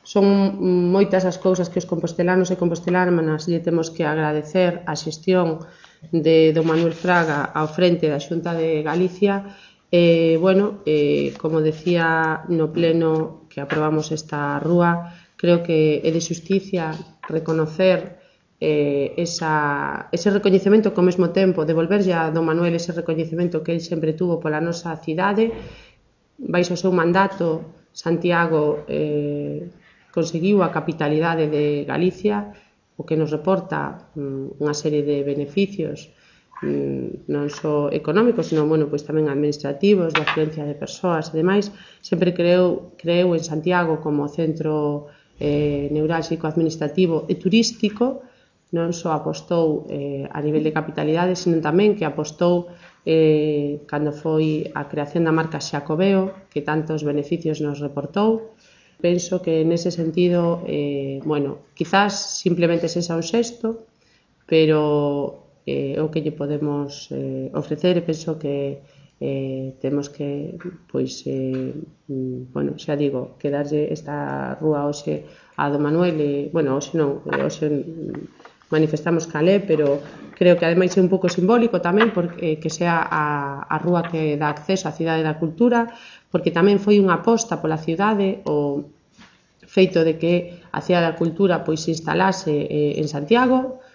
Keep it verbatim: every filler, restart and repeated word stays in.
son moitas as cousas que os compostelanos e compostelanas lle temos que agradecer a xestión de don Manuel Fraga ao frente da Xunta de Galicia. E, bueno, eh, como decía no pleno que aprobamos esta rúa, creo que é de xusticia reconocer eh, esa, ese recoñecemento que ao mesmo tempo devolverlle a don Manuel ese recoñecemento que el sempre tuvo pola nosa cidade. Baixo o seu mandato, Santiago eh, conseguiu a capitalidade de Galicia, o que nos reporta mm, unha serie de beneficios mm, non só económicos, sino bueno, pois tamén administrativos, de afluencia de persoas e demais. Sempre creou, creou en Santiago como centro eh, neurálxico administrativo e turístico. Non só apostou eh, a nivel de capitalidade, sino tamén que apostou eh, cando foi a creación da marca Xacobeo, que tantos beneficios nos reportou. Penso que nese sentido, eh, bueno, quizás simplemente sexa un xesto, pero é eh, o que lle podemos eh, ofrecer, e penso que eh, temos que, pois, eh, bueno, xa digo, que darlle esta rúa hoxe a do Manuel, e, bueno, hoxe non, hoxe manifestamos calé, pero creo que ademais é un pouco simbólico tamén porque que sea a, a rúa que dá acceso á Cidade da Cultura, porque tamén foi unha aposta pola cidade o feito de que a Cidade da Cultura pois se instalase eh, en Santiago,